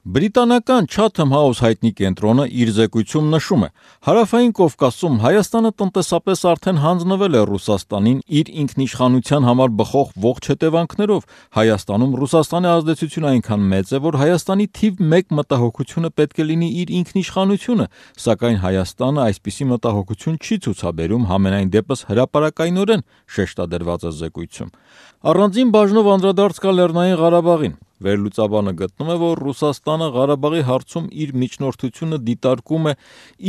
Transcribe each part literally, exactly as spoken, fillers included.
Բրիտանական Chatham House հայտնի կենտրոնը իր զեկույցում նշում է. Հարավային Կովկասում Հայաստանը տնտեսապես արդեն հանձնվել է Ռուսաստանին իր ինքնիշխանության համար բխող ողջ հետևանքներով։ Հայաստանում Ռուսաստանի ազդեցությունը այնքան մեծ է, որ Հայաստանի թիվ մեկ մտահոգությունը պետք է լինի իր ինքնիշխանությունը, սակայն Հայաստանը այսպիսի մտահոգություն չի ցուցաբերում, համենայն դեպս հրապարակայնորեն շեշտադրված է զեկույցում։ Առանձին բաժնով անդրադարձ կա Լեռնային Ղարաբաղին։ Վերլուծաբանը գտնում է, որ Ռուսաստանը Ղարաբաղի հարցում իր միջնորդությունը դիտարկում է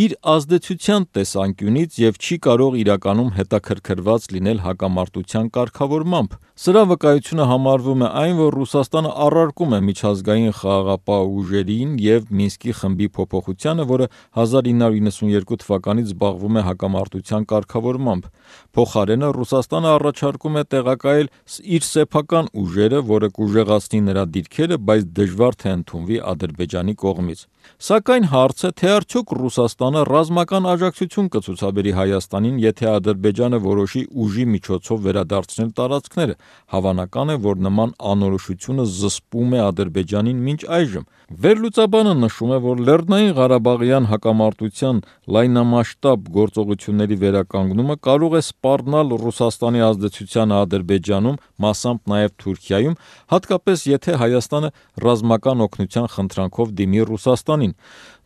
իր ազդեցության տեսանկյունից եւ չի կարող իրականում հետաքրքրված լինել հակամարտության կարգավորմամբ։ Սրա վկայությունը համարվում է այն, որ Ռուսաստանը առարկում է միջազգային խաղաղապահ ուժերին եւ Մինսկի խմբի փոփոխությանը, որը հազար ինը հարյուր իննսունյերկու թվականից զբաղվում է հակամարտության կարգավորմամբ։ Փոխարենը Ռուսաստանը առաջարկում է տեղակայել իր սեփական ուժերը, որը կուժեղացնի նրա դիրքերը, բայց դժվար թե ընդունվի Ադրբեջանի կողմից։ Սակայն հարց է, թե արդյոք Ռուսաստանը ռազմական աջակցություն կցուցաբերի Հայաստանին, եթե Ադրբեջանը որոշի ուժի միջոցով վերադարձնել տարածքները։ Հավանական է, որ նման անորոշությունը զսպում է Ադրբեջանին մինչ այժմ։ Վերլուծաբանը նշում է, որ Լեռնային Ղարաբաղյան հակամարտության լայնամասշտաբ գործողությունների վերականգնումը կարող է սպառնալ Ռուսաստանի ազդեցությանը Ադրբեջանում, մասամբ նաև Թուրքիայում, հատկապես եթե Հայաստանը ռազմական օգնության խնդրանքով դիմի Ռուսաստանին։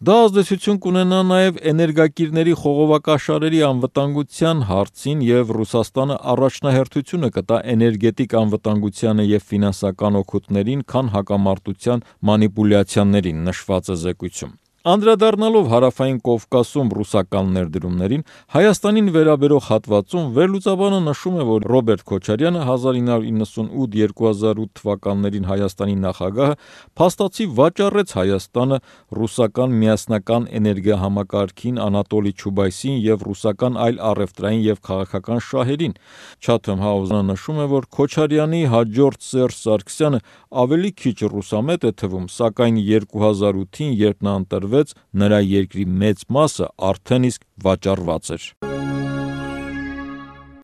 Դա ազդեցություն կունենա նաև էներգակիրների խողովակաշարերի անվտանգության հարցին եւ Ռուսաստանը առաջնահերթությունը կտա էներգետիկ անվտանգությանը եւ ֆինանսական օգուտներին, քան հակամարտության մանիպուլյացիաներին, նշված է զեկույցում։ Անդրադառնալով Հարավային Կովկասում ռուսական ներդրումներին, Հայաստանին վերաբերող հատվածում վերլուծաբանը նշում է, որ Ռոբերտ Քոչարյանը հազար ինը հարյուր իննսունութ - երկու հազար ութ թվականներին Հայաստանի նախագահը փաստացի վաճառեց Հայաստանը ռուսական միասնական էներգիահամակարգին, Անատոլի Չուբայսին եւ ռուսական այլ առևտրային եւ քաղաքական շահերին։ Chatham House-ը նշում է, որ Քոչարյանի հաջորդ Սերժ Սարգսյանը ավելի քիչ ռուսամետ է թվում, սակայն երկու հազար ութին, երբ նա ընտրվեց, նրա երկրի մեծ մասը արդեն իսկ վաճառված էր։